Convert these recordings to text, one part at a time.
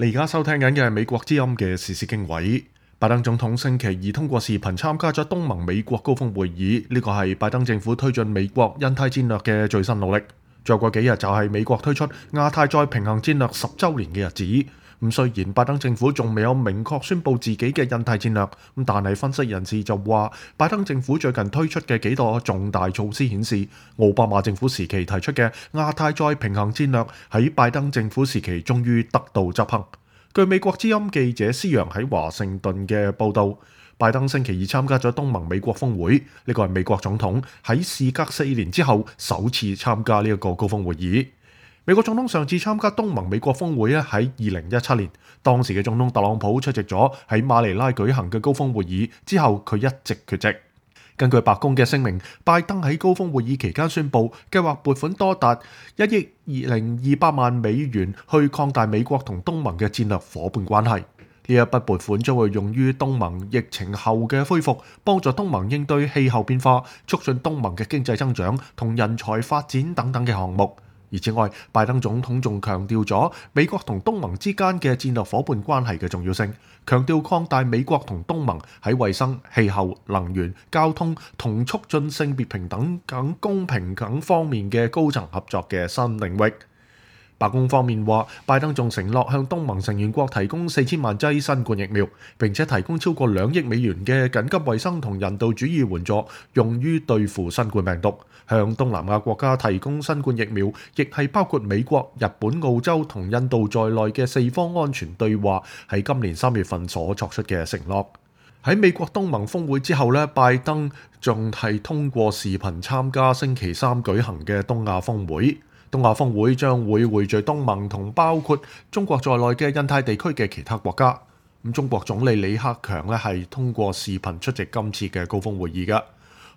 你而家收聽緊嘅係美國之音嘅時事經緯。拜登總統星期二通過視頻參加咗東盟美國高峰會議，呢個係拜登政府推進美國印太戰略嘅最新努力。再過幾日就係美國推出亞太再平衡戰略10週年嘅日子。雖然拜登政府仲未有明確宣布自己嘅印太戰略，但係分析人士就話，拜登政府最近推出嘅幾個重大措施顯示，奧巴馬政府時期提出嘅亞太再平衡戰略喺拜登政府時期終於得到執行。據美國之音記者施洋喺華盛頓嘅報導，拜登星期二參加咗東盟美國峰會，呢個係美國總統喺事隔4年之後首次參加呢一個高峰會議。美國總統上次參加東盟美國峰會喺2017年，當時嘅總統特朗普出席咗喺馬尼拉舉行嘅高峰會議，之後佢一直缺席。根據白宮嘅聲明，拜登喺高峰會議期間宣布，計劃撥款多達1億200萬美元去擴大美國同東盟嘅戰略夥伴關係。呢一筆撥款將會用於東盟疫情後嘅恢復，幫助東盟應對氣候變化，促進東盟嘅經濟增長同人才發展等等嘅項目。而此外，拜登總統仲強調咗美國同東盟之間嘅戰略夥伴關係嘅重要性，強調擴大美國同東盟喺衛生、氣候、能源、交通同促進性別平等等公平等方面嘅高層合作嘅新領域。白宮方面話，拜登仲承諾向東盟成員國提供4000萬劑新冠疫苗，並且提供超過2億美元嘅緊急衛生同人道主義援助，用於對付新冠病毒。向東南亞國家提供新冠疫苗，亦係包括美國、日本、澳洲同印度在內嘅4方安全對話喺今年3月份所作出嘅承諾。喺美國東盟峰會之後拜登仲係通過視頻參加星期3舉行嘅東亞峰會。東亞峰會將會匯聚東盟同包括中國在內嘅印太地區嘅其他國家。中國總理李克強係通過視頻出席今次嘅高峰會議嘅。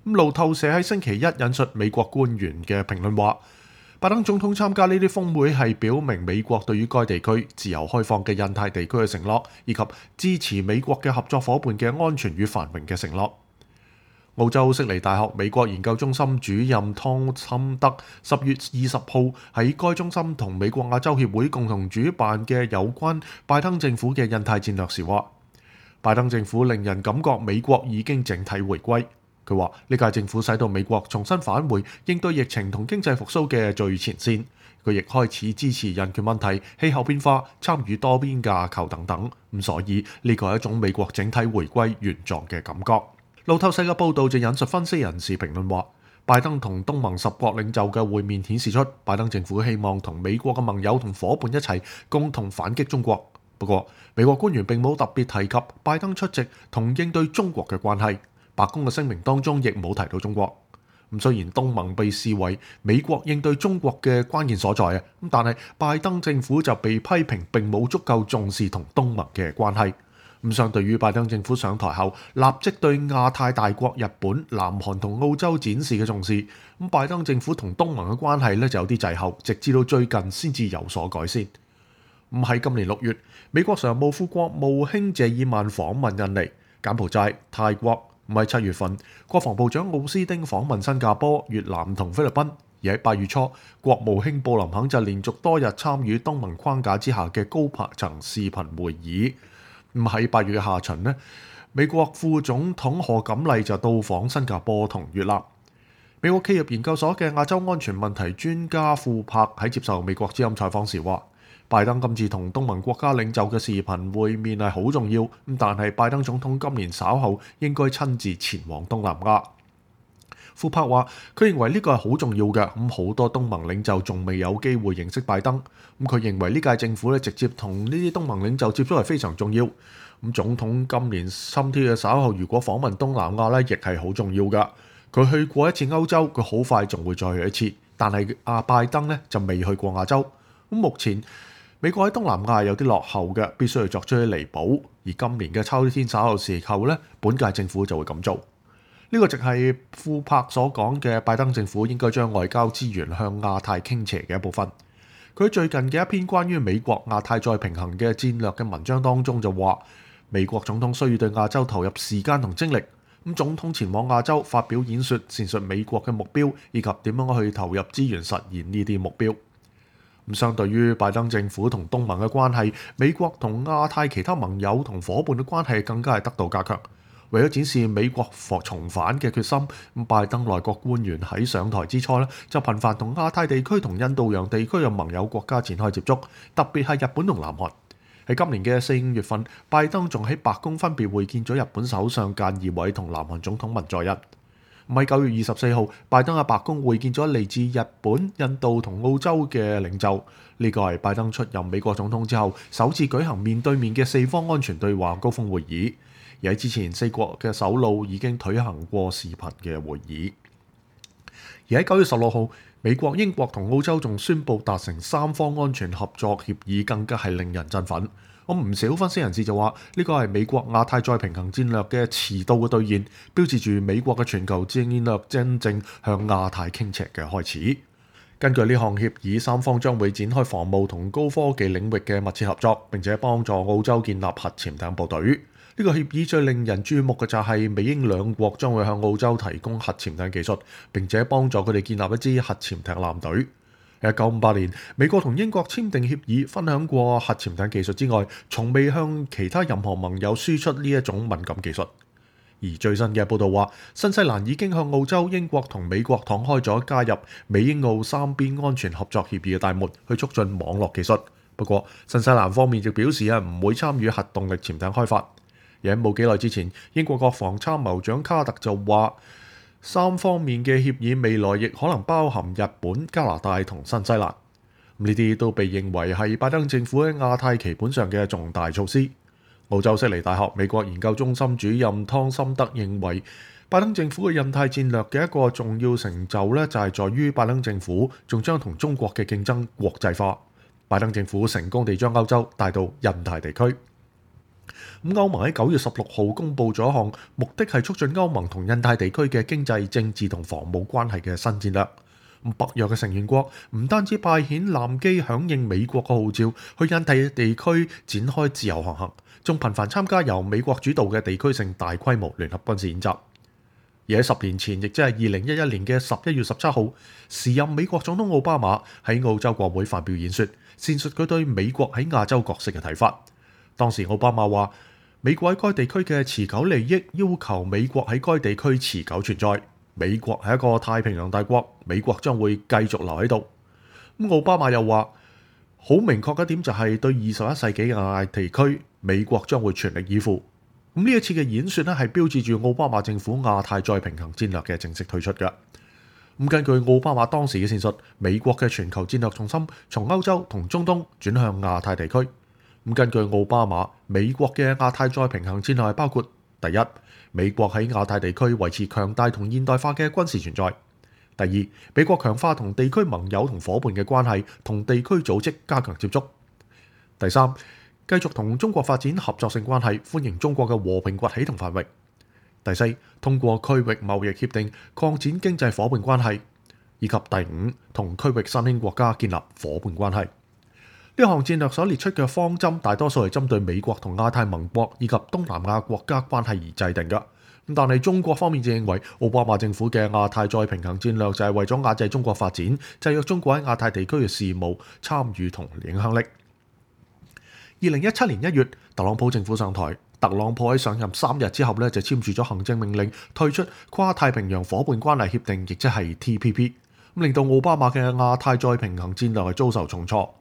路透社喺星期一引述美國官員嘅評論話，拜登總統參加呢啲峰會係表明美國對於該地區自由開放嘅印太地區嘅承諾，以及支持美國嘅合作夥伴嘅安全與繁榮嘅承諾。澳洲悉尼大學美國研究中心主任湯森德10月20號喺該中心同美國亞洲協會共同主辦嘅有關拜登政府嘅印太戰略時話，拜登政府令人感覺美國已經整體回歸。佢話呢屆政府使到美國重新返回應對疫情同經濟復甦嘅最前線。佢亦開始支持人權問題、氣候變化、參與多邊架構等等。所以呢個係一種美國整體回歸原狀嘅感覺。路透社嘅報導就引述分析人士評論話，拜登同東盟10國領袖嘅會面顯示出拜登政府希望同美國嘅盟友同夥伴一齊共同反擊中國。不過，美國官員並冇特別提及拜登出席同應對中國嘅關係。白宮嘅聲明當中亦冇提到中國。雖然東盟被視為美國應對中國嘅關鍵所在，但係拜登政府就被批評並冇足夠重視同東盟嘅關係。相對於拜登政府上台後立即對亞太大國日本、南韓同澳洲展示嘅重視，拜登政府同東盟嘅關係就有啲滯後，直至到最近先至有所改善。喺今年6月，美國常務副國務卿謝爾曼訪問印尼、柬埔寨、泰國。喺7月份，國防部長奧斯丁訪問新加坡、越南同菲律賓。而喺8月初，國務卿布林肯就連續多日參與東盟框架之下嘅高層視頻會議。喺8月嘅下旬美國副總統賀錦麗就到訪新加坡同越南。美國企業研究所嘅亞洲安全問題專家庫珀喺接受美國之音採訪時話，拜登今次同東盟國家領袖嘅視頻會面係好重要，但係拜登總統今年稍後應該親自前往東南亞。庫珀話，佢認為呢個係好重要嘅，好多東盟領袖仲未有機會認識拜登。佢認為呢屆政府直接同呢啲東盟領袖接觸係非常重要。總統今年心貼嘅稍後如果訪問東南亞亦係好重要㗎。佢去過一次歐洲，佢好快仲會再去一次。但係拜登就未去過亞洲。目前美國喺東南亞有啲落後嘅，必須要作出啲彌補。而今年嘅秋天稍後時候本屆政府就會咁做。呢個就係庫珀所講嘅拜登政府應該將外交資源向亞太傾斜嘅一部分。佢最近嘅一篇關於美國亞太再平衡嘅戰略嘅文章當中就話，美國總統需要對亞洲投入時間同精力。總統前往亞洲發表演說，闡述美國嘅目標以及點樣去投入資源實現呢啲目標。相對於拜登政府同東盟嘅關係，美國同亞太其他盟友同伙伴嘅關係更加係得到加強。為咗展示美國重返嘅決心，拜登內閣官員喺上台之初就頻繁同亞太地區同印度洋地區嘅盟友國家展開接觸，特別係日本同南韓。喺今年嘅4-5月份，拜登仲喺白宮分別會見咗日本首相菅義偉同南韓總統文在寅。喺9月24號，拜登喺白宮會見咗嚟自日本、印度同澳洲嘅領袖。呢個係拜登出任美國總統之後首次舉行面對面嘅四方安全對話高峰會議。而喺之前4國嘅首腦已經舉行過視頻嘅會議。而喺9月16號，美國、英國同澳洲仲宣布達成三方安全合作協議，更加係令人振奮。唔少分析人士就話呢個係美國亞太再平衡戰略嘅遲到嘅兌現，標誌住美國嘅全球戰略真正向亞太傾斜嘅開始。根據呢項協議，三方將會展開防務同高科技領域嘅密切合作，並且幫助澳洲建立核潛艇部隊。呢個協議最令人注目嘅就係美英兩國將會向澳洲提供核潛艇技術，並且幫助佢哋建立一支核潛艇艦隊。喺1958年，美國同英國簽訂協議，分享過核潛艇技術之外，從未向其他任何盟友輸出呢一種敏感技術。而最新嘅報導話，新西蘭已經向澳洲、英國同美國敞開咗加入美英澳三邊安全合作協議嘅大門，去促進網絡技術。不過，新西蘭方面亦表示唔會參與核動力潛艇開發。而喺冇幾耐之前，英國國防參謀長卡特就話，三方面嘅協議未來亦可能包含日本、加拿大同新西蘭。呢啲都被認為係拜登政府喺亞太棋盤上嘅重大措施。澳洲悉尼大學美國研究中心主任湯森德認為，拜登政府嘅印太戰略嘅一個重要成就就係在於拜登政府仲將同中國嘅競爭國際化。拜登政府成功地將歐洲帶到印太地區。歐盟喺9月16號公布咗一項目的係促進歐盟同印太地區嘅經濟、政治同防務關係嘅新戰略。北約嘅成員國唔單止派遣艦機響應美國嘅號召，去印太地區展開自由航行，仲頻繁參加由美國主導嘅地區性大規模聯合軍事演習。而喺10年前，亦即係2011年嘅11月17號，時任美國總統奧巴馬喺澳洲國會發表演說，闡述佢對美國喺亞洲角色嘅睇法。當時奧巴馬話，美國喺該地區嘅持久利益要求美國喺該地區持久存在。美國係一個太平洋大國，美國將會繼續留喺度。奧巴馬又話，好明確嘅一點就係對21世紀嘅亞太地區，美國將會全力以赴。呢一次嘅演說係標誌住奧巴馬政府亞太再平衡戰略嘅正式推出嘅。根據奧巴馬當時嘅闡述，美國嘅全球戰略重心從歐洲同中東轉向亞太地區。根據奧巴馬，美國嘅亞太再平衡戰略包括：第一，美國喺亞太地區維持強大同現代化嘅軍事存在；第二，美國強化同地區盟友同伙伴嘅關係，同地區組織加強接觸；第三，繼續同中國發展合作性關係，歡迎中國嘅和平崛起同繁榮；第四，通過區域貿易協定擴展經濟伙伴關係；以及第五，同區域新興國家建立伙伴關係。呢項戰略所列出嘅方針，大多數係針對美國同亞太盟國以及東南亞國家關係而制定嘅。但係中國方面就認為，奧巴馬政府嘅亞太再平衡戰略就係為咗壓制中國發展，制約中國喺亞太地區嘅事務參與同影響力。2017年1月，特朗普政府上台，特朗普喺上任3日之後就簽署咗行政命令，退出跨太平洋伙伴關係協定，亦即係 TPP， 令到奧巴馬嘅亞太再平衡戰略係遭受重挫。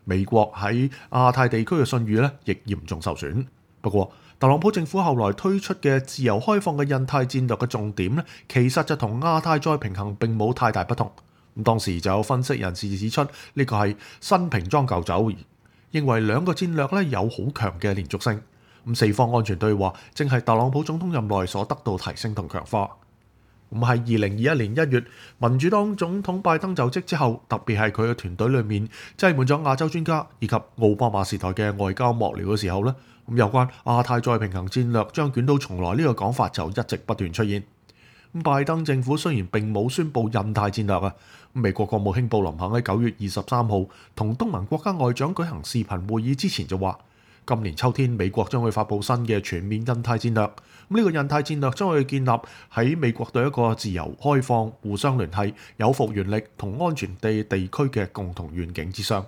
美國喺亞太地區嘅信譽亦嚴重受損。不過，特朗普政府後來推出嘅自由開放嘅印太戰略嘅重點其實就同亞太再平衡並冇太大不同。當時就有分析人士指出，呢個係新瓶裝舊酒，認為兩個戰略有好強嘅連續性。四方安全對話正係特朗普總統任內所得到提升同強化。喺2021年1月，民主黨總統拜登就職之後，特別係佢嘅團隊裏面擠滿咗亞洲專家以及奧巴馬時代嘅外交幕僚嘅時候有關亞太再平衡戰略將捲土重來呢個講法就一直不斷出現。拜登政府雖然並冇宣布印太戰略美國國務卿布林肯喺9月23號同東盟國家外長舉行視頻會議之前就話，今年秋天美國將會發布新嘅全面印太戰略。呢個印太戰略將會建立喺美國對一個自由開放、互相聯繫、有復原力同安全地區嘅共同願景之上。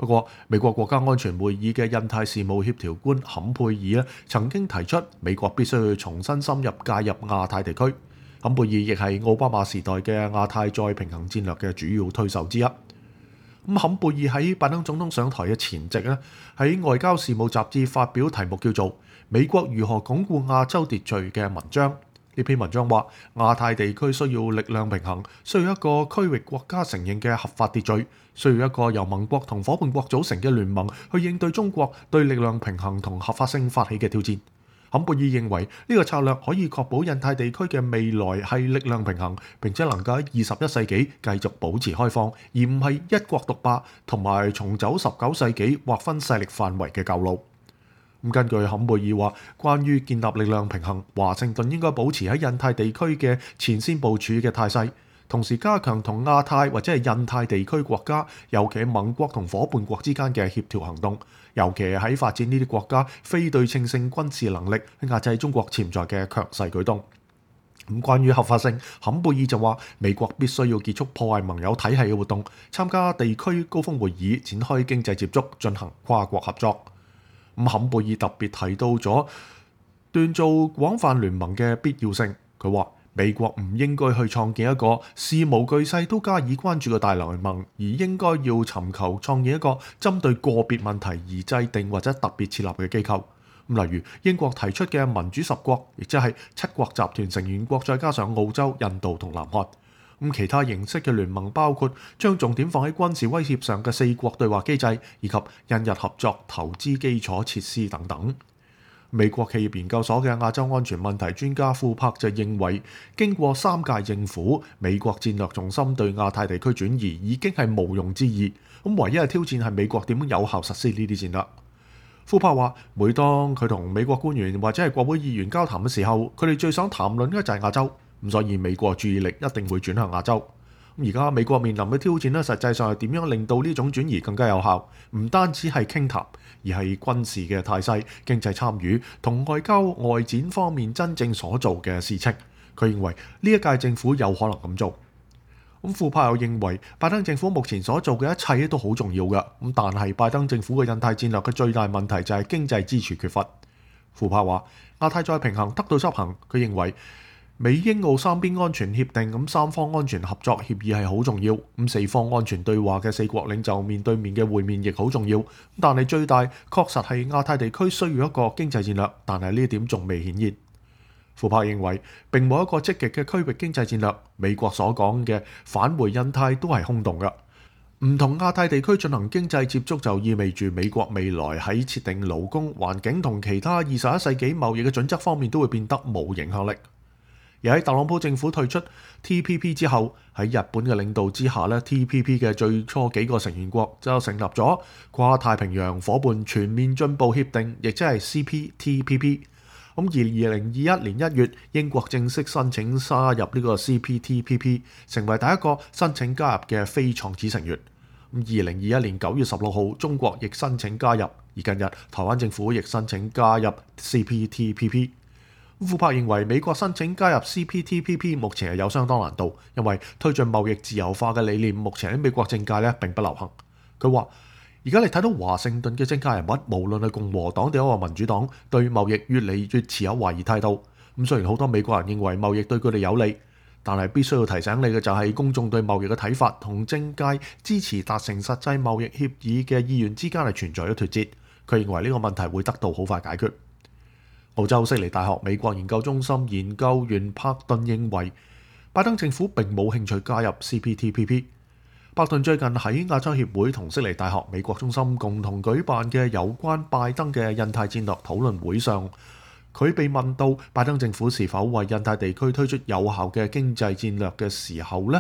不過，美國國家安全會議嘅印太事務協調官坎佩爾曾經提出，美國必須要重新深入介入亞太地區。坎佩爾亦係奧巴馬時代嘅亞太再平衡戰略嘅主要推手之一。坎佩爾喺拜登總統上台嘅前夕咧，喺外交事務雜誌發表題目叫做《美國如何鞏固亞洲秩序》嘅文章。呢篇文章話，亞太地區需要力量平衡，需要一個區域國家承認嘅合法秩序，需要一個由盟國同夥伴國組成嘅聯盟去應對中國對力量平衡同合法性發起嘅挑戰。坎佩爾認為呢個策略可以確保印太地區嘅未來係力量平衡，並且能夠喺21世紀繼續保持開放，而唔係一國獨霸同埋重走19世紀劃分勢力範圍嘅舊路。根據坎佩爾話，關於建立力量平衡，華盛頓應該保持喺印太地區嘅前線部署嘅態勢，同時加強同亞太或者係印太地區國家，尤其係盟國同夥伴國之間嘅協調行動，尤其係喺發展呢啲國家非對稱性軍事能力，壓制中國潛在嘅強勢舉動。關於合法性，坎佩爾就話，美國必須要結束破壞盟友體系嘅活動，參加地區高峰會議，展開經濟接觸，進行跨國合作。坎佩爾特別提到咗鍛造廣泛聯盟嘅必要性。佢話美國唔應該去創建一個事無巨細都加以關注嘅大聯盟，而應該要尋求創建一個針對個別問題而制定或者特別設立嘅機構。例如英國提出嘅民主10國，亦即係7國集團成員國，再加上澳洲、印度同南韓。其他形式嘅聯盟包括將重點放喺軍事威脅上嘅4國對話機制，以及印日合作投資基礎設施等等。美國企業研究所嘅亞洲安全問題專家庫珀就認為，經過3屆政府，美國戰略重心對亞太地區轉移已經係毋庸置疑。唯一嘅挑戰係美國點樣有效實施呢啲戰略。庫珀話，每當佢同美國官員或者係國會議員交談嘅時候，佢哋最想談論嘅就係亞洲。所以美國注意力一定會轉向亞洲。而家美國面臨嘅挑戰咧，實際上係點樣令到呢種轉移更加有效？唔單止係傾談，而係軍事嘅態勢、經濟參與同外交外展方面真正所做嘅事情。佢認為呢一屆政府有可能咁做。庫珀又認為拜登政府目前所做嘅一切都好重要嘅。但係拜登政府嘅印太戰略嘅最大問題就係經濟支柱缺乏。庫珀話亞太再平衡得到執行，佢認為美英澳3邊安全協定3方安全合作協議係好重要。4方安全對話嘅4國領袖面對面嘅會面亦好重要。但係最大確實係亞太地區需要一個經濟戰略，但係呢一點仲未顯現。庫珀認為並冇一個積極嘅區域經濟戰略，美國所講嘅返回印太都係空洞嘅。唔同亞太地區進行經濟接觸就意味住美國未來喺設定勞工、環境同其他21世紀貿易嘅準則方面都會變得冇影響力。而喺特朗普政府退出 TPP 之後，喺日本嘅領導之下咧，TPP 嘅最初幾個成員國就成立咗跨太平洋夥伴全面進步協定，亦即係 CPTPP。而2021年1月，英國正式申請加入呢個 CPTPP， 成為第一個申請加入嘅非創始成員。2021年9月16號，中國亦申請加入，而近日台灣政府亦申請加入 CPTPP。庫珀認為美國申請加入 CPTPP 目前係有相當難度，因為推進貿易自由化嘅理念目前喺美國政界並不流行。佢話：而家你睇到華盛頓嘅政界人物，無論係共和黨定係民主黨，對貿易越嚟越持有懷疑態度。雖然好多美國人認為貿易對佢哋有利，但係必須要提醒你嘅就係公眾對貿易嘅睇法同政界支持達成實際貿易協議嘅意願之間係存在咗脫節。佢認為呢個問題會得到好快解決。澳洲悉尼大學美國研究中心研究員柏頓認為，拜登政府並冇興趣加入 CPTPP。柏頓最近喺亞洲協會同悉尼大學美國中心共同舉辦嘅有關拜登嘅印太戰略討論會上，佢被問到拜登政府是否為印太地區推出有效嘅經濟戰略嘅時候呢，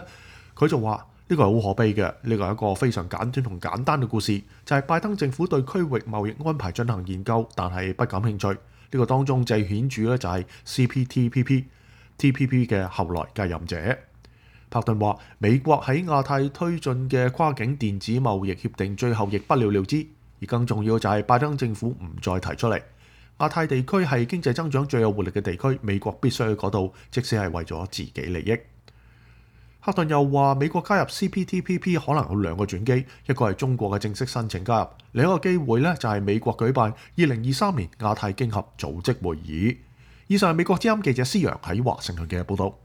佢就話呢個係好可悲嘅，呢個係一個非常簡短同簡單嘅故事，就係拜登政府對區域貿易安排進行研究，但係不感興趣。呢個當中最顯著咧就係 CPTPP、TPP 嘅後來繼任者。柏頓話：美國喺亞太推進嘅跨境電子貿易協定最後亦不了了之，而更重要就係拜登政府唔再提出嚟。亞太地區係經濟增長最有活力嘅地區，美國必須去嗰度，即使係為咗自己利益。克頓又話美國加入 CPTPP 可能有兩個轉機，一個係中國嘅正式申請加入，另一個機會咧就係美國舉辦2023年亞太經合組織會議。以上係美國之音記者施陽喺華盛頓嘅報道。